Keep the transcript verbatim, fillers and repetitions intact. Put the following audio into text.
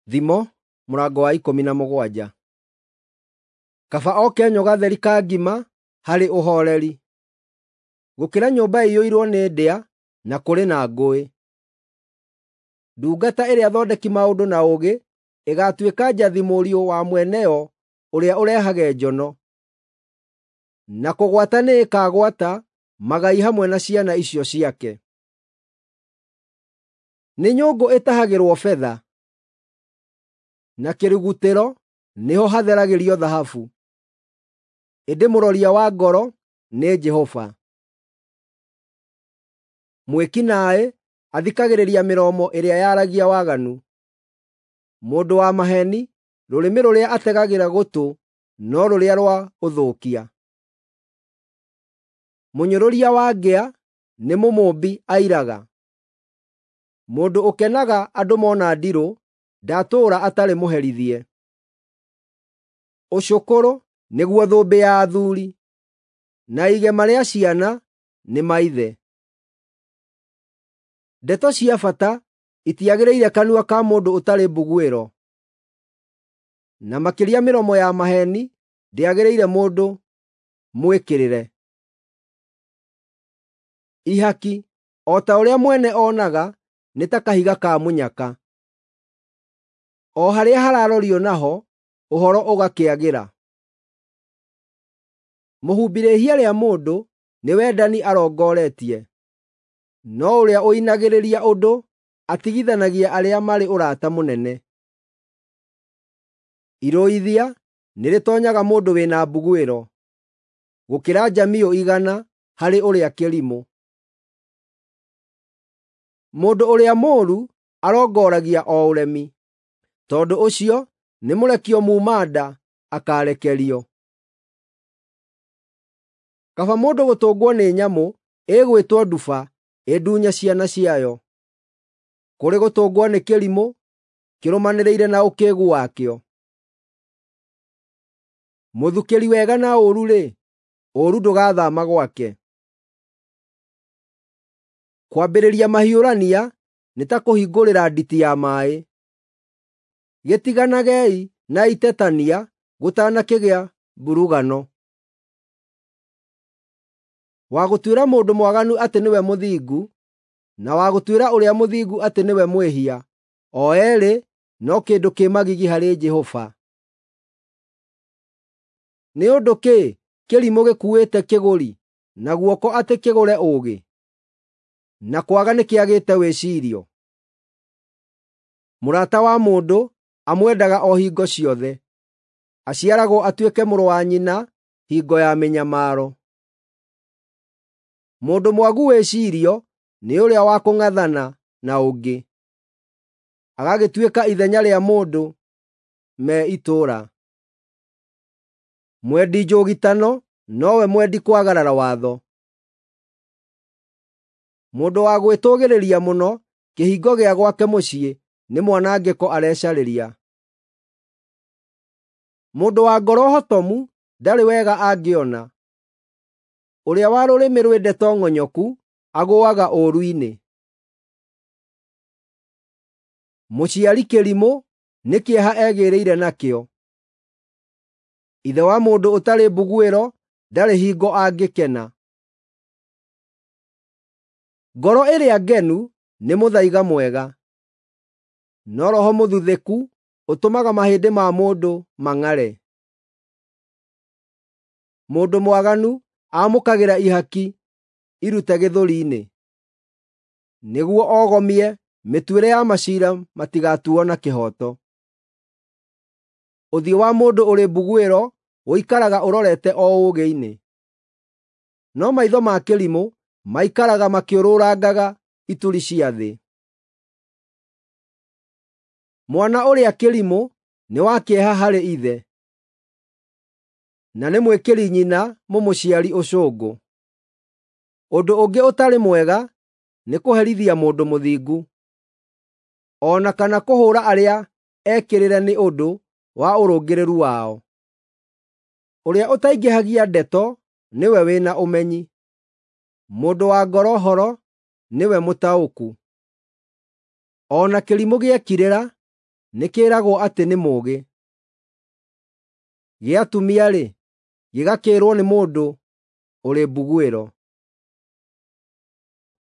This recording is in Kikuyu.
Thimo mũrango wa ikũmi na mũgwanja. Kaba o kenyũ gatheri ka ngima harĩ ũhooreri, gũkĩra nyũmba ĩiyũirwo nĩ ndĩa na kũrĩ na ngũĩ. Ndungata ĩrĩa thondeki maũndũ na ũũgĩ ĩgaatuĩka njathi mũriũ wa mwene yo ũrĩa ũrehage njono, na kũgwata nĩĩkagwata magai hamwe na ciana icio ciake. Nĩ nyũngũ ĩtahagĩrwo betha, na kĩrugutĩro nĩho hatheragĩrio thahabu, ĩndĩ mũroria wa ngoro nĩ Jehova. Mwĩki naaĩ athikagĩrĩria mĩromo ĩrĩa yaragia waganu. Mũndũ wa maheeni, rũrĩmĩ rũrĩa ategagĩra gũtũ no rũrĩa rwa ũthũkia. Mũnyũrũria wa ngĩa nĩ mũmũũmbi airaga. Mũndũ ũkenaga andũ mona ndirũ ndatũũra atarĩ mũherithie. Ũcũkũrũ nĩguo thũmbĩ ya athuuri, na igema rĩa ciana nĩ maithe. Ndeto cia bata itiagĩrĩire kanua ka mũndũ ũtarĩ mbuguĩro, na makĩria mĩromo ya maheeni ndĩagĩrĩire mũndũ mwĩkĩrĩre. Ihaki, o ta ũrĩa mwene onaga, nĩ ta kahiga ka mũnyaka. O harĩa hararorio naho, ũhoro ũgakĩagĩra. Mũhumbi rĩĩhia rĩa mũndũ nĩ wendani arongoretie, no ũrĩa ũinagĩrĩria ũndũ atigithanagia arĩa marĩ ũrata mũnene. Irũithia nĩrĩtoonyaga mũndũ wĩna mbuguĩro, gũkĩra njamiũ igana harĩ ũrĩa kĩrimũ. Mũndũ ũrĩa mũũru arongoragia o ũremi, tondũ ũcio nĩ mũrekio muuma-nda akaarekerio. Kaba mũndũ gũtũngwo nĩ nyamũ ĩgwĩtwo nduba ĩndunye ciana ciayo, kũrĩ gũtũngwo nĩ kĩrimũ kĩrũmanĩrĩire na ũkĩĩgu wakĩo. Mũthukĩri wega na ũũru-rĩ, ũũru ndũgathaama gwake. Kwambĩrĩria mahiũrania nĩ ta kũhingũrĩra nditi ya maaĩ. Gĩtiganagei na itetania gũtanakĩgĩa mburugano. Wa gũtuĩra mũndũ mwaganu atĩ nĩwe mũthingu, na wa gũtuĩra ũrĩa mũthingu atĩ nĩwe mwĩhia, o eerĩ no kĩndũ kĩ magigi harĩ Jehova. Nĩ ũndũ kĩ kĩrimũ gĩkuuĩte kĩgũri na guoko atĩ kĩgũre ũũgĩ, na kwaga nĩkĩagĩte wĩcirio? Mũrata wa mũndũ amwendaga o hingo ciothe, aciaragwo atuĩke mũrũ wa nyina hingo ya mĩnyamaro. Mũndũ mwagu wĩcirio nĩ ũrĩa wa kũng'athana na ũngĩ, agagĩtuĩka ithenya rĩa mũndũ me itũũra. Mwendi njũgitano nowe mwendi kwagarara watho. Mũndũ wa gwĩtũũgĩrĩria mũno kĩhingo gĩa gwake mũciĩ nĩ mwanangĩko arecarĩria. Mũndũ wa ngoro hotomu ndarĩ wega angĩona. Ũrĩa wa rũrĩmĩ rwĩ ndeto ng'onyoku agũũaga ũũru-inĩ. Mũciari kĩrimũ nĩ kĩeha egĩĩrĩire nakĩo. Ithe wa mũndũ ũtarĩ mbuguĩro ndarĩ hingo angĩkena. Ngoro ĩrĩa ngenu nĩ mũthaiga mwega, no roho mũthuthĩku ũtũmaga mahĩndĩ ma mũndũ mang'are. Mũndũ mwaganu aamũkagĩra ihaki irute gĩthũri-inĩ, nĩguo ogomie mĩtuĩre ya maciira matigatuo na kĩhooto. Ũthiũ wa mũndũ ũrĩ mbuguĩro ũikaraga ũrorete o ũũgĩ-inĩ, no maitho ma kĩrimũ maikaraga makĩũrũrangaga ituri cia thĩ. Mwana ũrĩa kĩrimũ nĩ wa kĩeha harĩ ithe, na nĩ mwĩkĩri nyina mũmũciari ũcũngũ. Ũndũ ũngĩ ũtarĩ mwega nĩ kũherithia mũndũ mũthingu, o na kana kũhũũra arĩa ekĩrĩre nĩ ũndũ wa ũrũngĩrĩru wao. Ũrĩa ũtaingĩhagia ndeto nĩwe wĩna ũmenyi, mũndũ wa ngoro horo nĩwe mũtaũku. O na kĩrimũ gĩekirĩra nĩkĩĩragwo atĩ nĩ mũũgĩ. Gĩa atumia-rĩ, gĩgakĩĩrwo nĩ mũndũ ũrĩ mbuguĩro.